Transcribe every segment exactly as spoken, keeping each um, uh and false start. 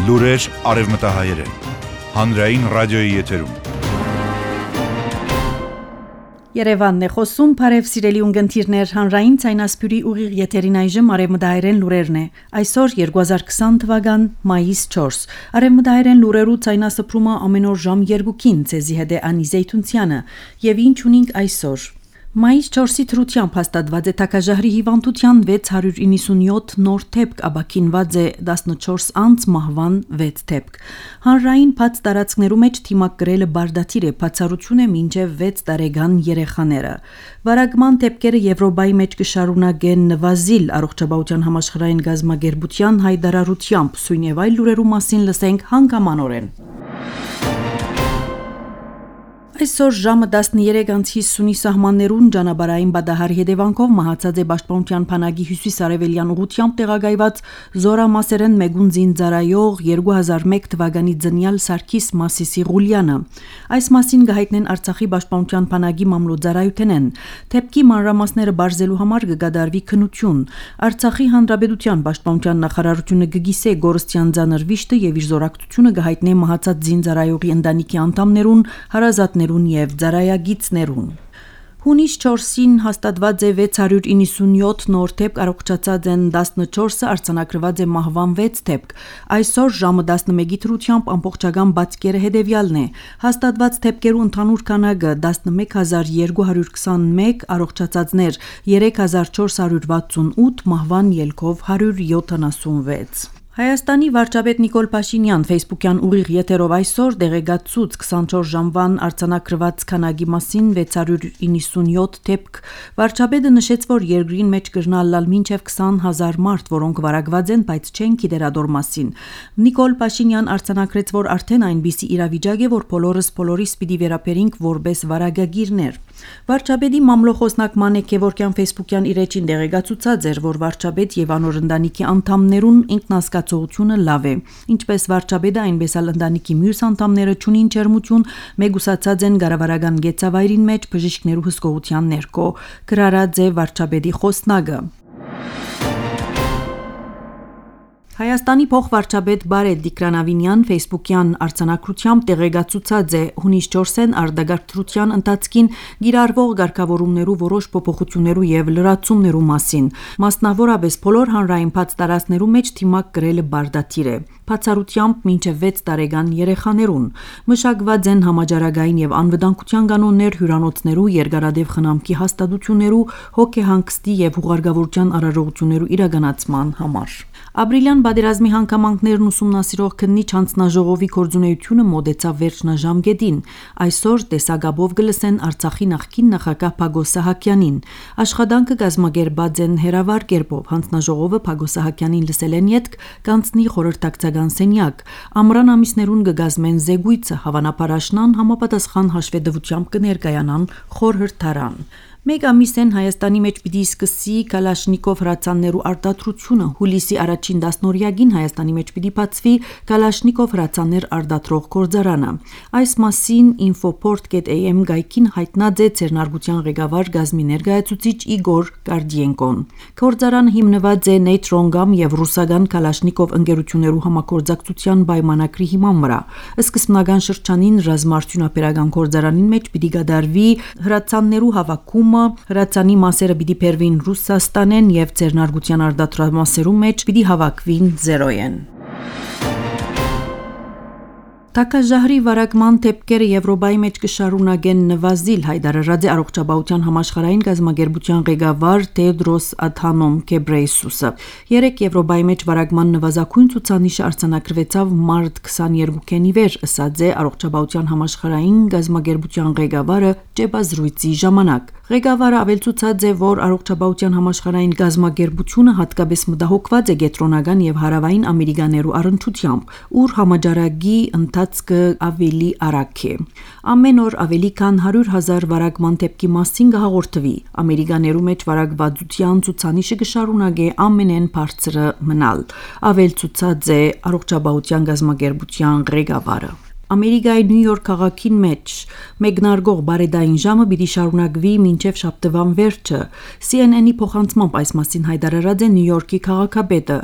Լուրեր արևմտահայերեն, հանրային ռադիոյի եթերում։ Երևանն է խոսում, բարև սիրելի ունգընտիրներ, հանրային ցայնասպյուրի ուղիղ եթերին այժմ արևմտահայերեն լուրերն է։ Այսօր երկու հազար քսան թվական մայիս չորս։ Արևմտահայերեն լուրերու ցայնասպրումը ամեն օր ժամ երկուքին ցեզի հետ է Անի Զեյթունցյանը, եւ ինչ ունենք այսօր։ Մայիս չորսի թրությամբ հաստատված է թակաժահրի հիվանդության վեց հարյուր իննսունյոթ նոր թեփք, աբաքինված է տասնչորս անց մահվան վեց թեփք։ Հանրային բաց տարածքներու մեջ թիմակ գրելը բարդաթիր է, բացառություն է մինչև վեց տարեկան երեխաները։ Վարագման թեփքերը Եվրոպայի մեջ կշարունակեն նվազիլ առողջապահության համաշխարհային գազագերբության հայտարարությամբ, սույն եւ այլ լուրերու մասին լսենք հանգամանորեն։ Այսօր ժամը տասներեք անց հիսունի սահմաններուն ճանապարհային բադահարի հետևանքով մահացած է Պաշտպանության բանակի հյուսիս-արևելյան ուղղությամբ տեղակայված զորամասերեն մեգուն զինծառայող երկու հազար մեկ թվականի ծնյալ Սարգիս Մասիսի Ղուլյանը։ Այս մասին գահիտնեն Արցախի Պաշտպանության բանակի մամլոյցարայութենեն։ Թեփքի մանրամասները բարձելու համար կգադարվի քննություն։ Արցախի Հանրապետության Պաշտպանության նախարարությունը կգիսե գորստյան ծանր վիշտը եւ իր զորակցությունը կհայտնե մահացած զինծառայողի ընտանիքի անդամներուն, հարազատներուն եւ ծառայագիցներուն։ Հունիս չորսին հաստատված է վեց հարյուր իննսունյոթ նոր թեփք, առողջացած են տասնչորսը, արձանագրված է մահվան վեց թեփք։ Այսօր ժամը տասնմեկի թրությամբ ամբողջական բացկերը հետևյալն է։ Հաստատված թեփքերու ընդհանուր քանակը տասնմեկ հազար երկու հարյուր քսանմեկ, առողջացածներ երեք հազար չորս հարյուր վաթսունութ, մահվան ելքով հարյուր յոթանասունվեց։ Հայաստանի վարչապետ Նիկոլ Փաշինյան Facebook-յան ուղիղ եթերով այսօր դեղեկացուց քսանչորս ժամվան արձանագրված քանակի մասին վեց հարյուր իննսունյոթ թեփք։ Վարչապետը նշեց, որ երկրին մեջ կրնալալ մինչև քսան հազար մարդ, որոնք վարակված են, բայց չեն գիտերադոր մասին։ Նիկոլ Փաշինյան արձանագրեց, որ արդեն այնպիսի իրավիճակ է, որ բոլորս բոլորիս պիտի վերաբերենք որպես վարակագիրներ։ Վարչապետի մամլոխոսնակ Մանեկ Քևորքյան Facebook-յան իր էջին դեղեկացուցած էր, որ վարչապետ եւ անոր ընտանիքի անդամներուն ինքնազգացողությունը լավ է։ Ինչպես վարչապետը, այնպես էլ ընտանիքի մյուս անդամները չունին ջերմություն, մեգուսացած են գարավարական գեցավայրին մեջ բժիշկներու հսկողության ներքո, գրարած է վարչապետի խոսնակը։ Հայաստանի փոխվարչապետ Բարետ Դիկրանավինյան Facebook-յան արձանագրությամբ տեղեկացուցած է հունիս չորսին արտագաղթության ընթացքին գիրառվող ղեկավարումներու որոշ փոփոխություններու եւ լրացումներու մասին, մասնավորապես բոլոր հանրային բաց տարածքներու մեջ թիմակ գրելը բարդաթիր է, բացառությամբ մինչև վեց տարեկան երեխաներուն։ Մշակված են համաճարակային եւ անվտանգության կանոններ հյուրանոցներու, երկարադեպ խնամքի հաստատություններու, հոգեհանգստի եւ հուղարկավորության արարողություններու իրականացման համար։ Ապրիլյան պատերազմի հանգամանքներն ուսումնասիրող քննիչ հանձնաժողովի գործունեությունը մոտեցավ վերջնաժամկետին։ Այսօր տեսակապով կլսեն Արցախի նախկին նախագահ Փագոս Սահակյանին։ Աշխատանքը կազմակերպված են հերավար կերպով։ Հանձնաժողովը Փագոս Սահակյանին լսելեն ետք կանցնի խորհրդակցական սենյակ։ Ամռան ամիսներուն կգազմեն զեկույցը, հավանաբար աշնան համապատասխան հաշվետվությամբ կներկայանան խորհրդարան։ Մեկ ամիս են Հայաստանի մեջ պիտի սկսի Կալաշնիկով հրացաններու արտադրությունը։ Հուլիսի առաջին դասնօրյակին Հայաստանի մեջ պիտի բացվի Կալաշնիկով հրացաններ արտադրող գործարանը։ Այս մասին infoport.am գայքին հայտնած է Ցերնարգության ղեկավար գազմի ներկայացուցիչ Իգոր Կարդիենկոն։ Գործարանը հիմնված է Նեյտրոնգամ եւ ռուսական Կալաշնիկով ընկերություններու համագործակցության պայմանագրի հիման վրա։ Սկզբնական շրջանին ռազմաարդյունաբերական գործարանին մեջ պիտի կատարվի հրացաններու հավաքում, հրացանի մասերը պիտի բերվին Ռուսաստանեն եւ Ցերնարգության արտադրամասերու մեջ պիտի հավաքվին զերոյեն։ Թակաժահրի վարակման թեփքերը Եվրոպայի մեջ կշարունակեն նվազիլ, հայտարարած է առողջապահության համաշխարհային գազագերբության ղեկավար Թեդրոս Ադհանոմ Ղեբրեյեսուսը։ Երեք Եվրոպայի մեջ վարակման նվազագույն ցուցանիշը արձանագրվեցավ մարտ քսաներկուին ի վեր, ըսած է առողջապահության համաշխարհային գազագերբության ղեկավարը ճեպազրույցի ժամանակ։ Ղեկավարը ավելցուցած է, որ առողջապահության համաշխարհային գազագերբությունը հատկապես մտահոգված է կենտրոնական եւ հարավային ամերիկաներու առնչությամբ, ուր համաճարակի ընթացքը ավելի արագ է։ Ամեն օր ավելի քան հարյուր հազար վարակման դեպքի մասին կհաղորդվի։ Ամերիկաներու մեջ վարակվածության ցուցանիշը կշարունակի ամենեն բարձրը մնալ, ավելցուցած է առողջապահության գազագերբության ղեկավարը։ Ամերիկայի Նյու Յորք քաղաքին մեջ մեկնարկող բարեդային ժամը պիտի շարունակվի մինչև շաբթվան վերջը։ C N N-ի փոխանցմամբ այս մասին հայտարարած է Նյու Յորքի քաղաքապետը։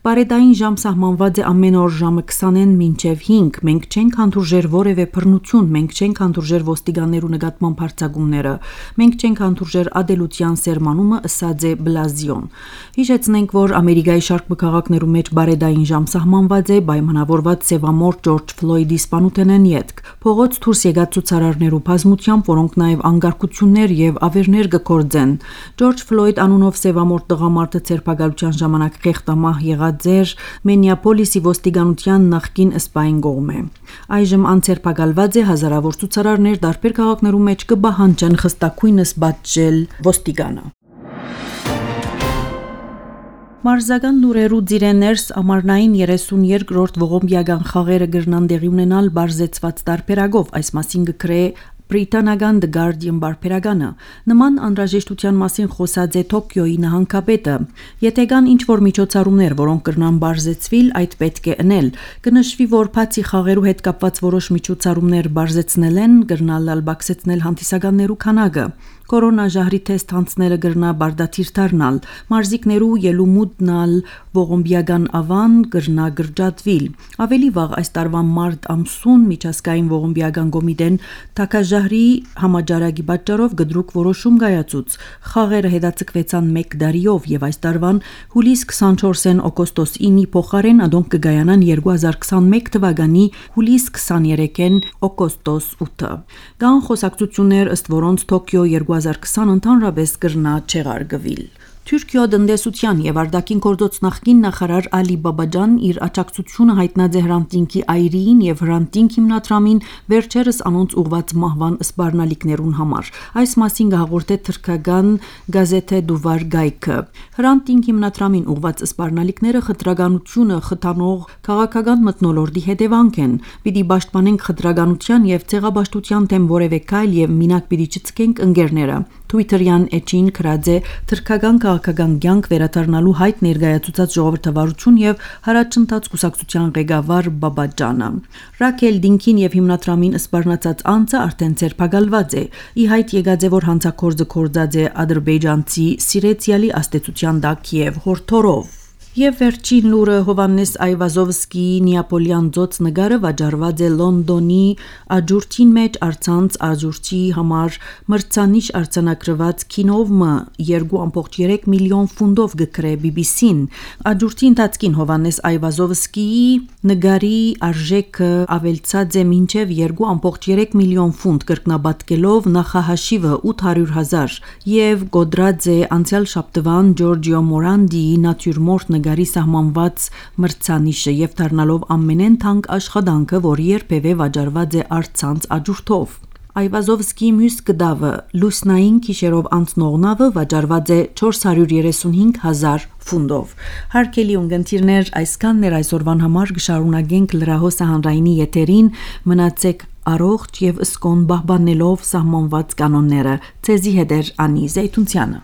Բարեդային ժամ սահմանված է ամեն օր ժամը քսանին մինչև հինգ։ Մենք չենք հանդուրժեր որևէ բռնություն, մենք չենք հանդուրժեր ոստիկաններու նկատմամբ հարձակումները, մենք չենք հանդուրժեր ադելության սերմանումը, ըսած է Բլազիոն։ Հիշեցնենք, որ Ամերիկայի շարք քաղաքներու մեջ բարեդային ժամ սահմանված է պայմանավորված սևամորթ Ջորջ Ֆլոյդի սպանութենեն ետք։ Փողոց դուրս եկած ցուցարարներու բազմությամբ, որոնք նաև անկարգություններ եւ ավերներ կգործեն։ Ջորջ Ֆլոյդ անունով սևամորթ տղամարդը ցերպակալության ժամանակ խեղդամահ եղած էր Մինեապոլիսի ոստիկանության նախկին սպային կողմէ։ Այժմ անցերպակալված է, հազարավոր ցուցարարներ տարբեր քաղաքներու մեջ կբահանջեն խստակույնս պատժել ոստիկանը։ Մարզական լուրերու ձիրեներս ամառնային երեսունյոթերորդ ողոմբիական խաղերը կրնան տեղի ունենալ բարձեցված տարբերակով, այս մասին կգրե բրիտանական The Guardian բարբերականը։ Նման անհրաժեշտության մասին խոսած է Թոկիոյի նահանգապետը։ Եթե կան ինչ-որ միջոցառումներ, որոնք կրնան բարձեցվիլ, այդ պետք է ընել։ Կնշվի, որ բացի խաղերու հետ կապված որոշ միջոցառումներ բարձեցնել են, կրնալ բացեցնել հանդիսականներու քանակը։ Կորոնաժահրի թեստ հանցնելը կրնա բարդաթիր դառնալ, մարզիկներու ելումուտնալ ողոմբիական ավան կրնա գրճատվիլ։ Ավելի վաղ այս տարվա մարտ ամսուն միջազգային ողոմբիական կոմիտեն թակաժահրի համաճարակի պատճառով գդրուկ որոշում կայացուց։ Խաղերը հետաձգվեցան մեկ դարիով եւ այս տարվան հուլիս քսանչորսին օգոստոս ինի փոխարեն ադոնք կգայանան երկու հազար քսանմեկ թվականի հուլիս քսաներեքին օգոստոս ութը։ Կան խոսակցություններ, ըստ որոնց Թոկիո երկու հազար քսան ընդհանրապես կրնա չեղարկվիլ։ Թուրքիո տնտեսության եւ արտաքին գործոց նախկին նախարար Ալի Բաբաջան իր աջակցությունը հայտնած է Hrant Dink-ի այրիին եւ Hrant Dink հիմնադրամին վերջերս անոնց ուղված մահվան սպառնալիքներուն համար։ Այս մասին կհաղորդե թրքական գազեթե Դուվար Գայքը։ Hrant Dink հիմնադրամին ուղված սպառնալիքները խտրականությունը խթանող քաղաքական մթնոլորտի հետևանք են։ Պիտի պաշտպանենք խտրականության եւ ցեղաբաշխության դեմ որևէ քայլ եւ մինակ պիտի չցկենք ընկերները։ Twitter-յան էջին գրած է թրքական քաղաքական կյանք վերադառնալու հայտ ներկայացուցած ժողովրդավարություն եւ հարաճընթաց կուսակցության ղեկավար Բաբաջանը։ Ռաքել Դինքին եւ հիմնադրամին սպառնացած անձը արդեն ցերպակալված է։ Ի հայտ եկած է, որ հանցակործը կորձած է ադրբեջանցի Սիրեցիալի աստեցության տակ եւ հորթորով։ Եվ վերջին լուրը Հովանես Այվազովսկիի Նեապոլյան ծոց նկարը վաճառված է Լոնդոնի աջուրտին մեջ արցանց աջուրտի համար մրցանիշ արձանագրված կինովը երկու կόμμα երեք միլիոն ֆունդով գկրե B B C-ն։ Աջուրտի ընթացքին Հովանես Այվազովսկիի նկարի արժեքը ավելցած է մինչև երկու կόμμα երեք միլիոն ֆունտ կրկնապատկելով նախահաշիվը ութ հարյուր հազար եւ գոդրած է անցյալ շաբթվան Ջորջիո Մորանդիի նատյուրմորտ նկարի սահմանված մրցանիշը եւ դառնալով ամենեն թանկ աշխատանքը, որ երբևէ վաճառված է արցանց աջուրտով։ Այվազովսկիի մյուս գդավը լուսնային քիշերով անցնող նավը վաճառված է չորս հարյուր երեսունհինգ հազար ֆունդով։ Հարգելի ունկնդիրներ, այսքանն էր այսօրվան համար կշարունակենք լրահոսը հանրայինի եթերին, մնացեք առողջ եւ ըսկոն պահպանելով սահմանված կանոնները։ Ցեզի հետ է Անի Զեյթունցյանը։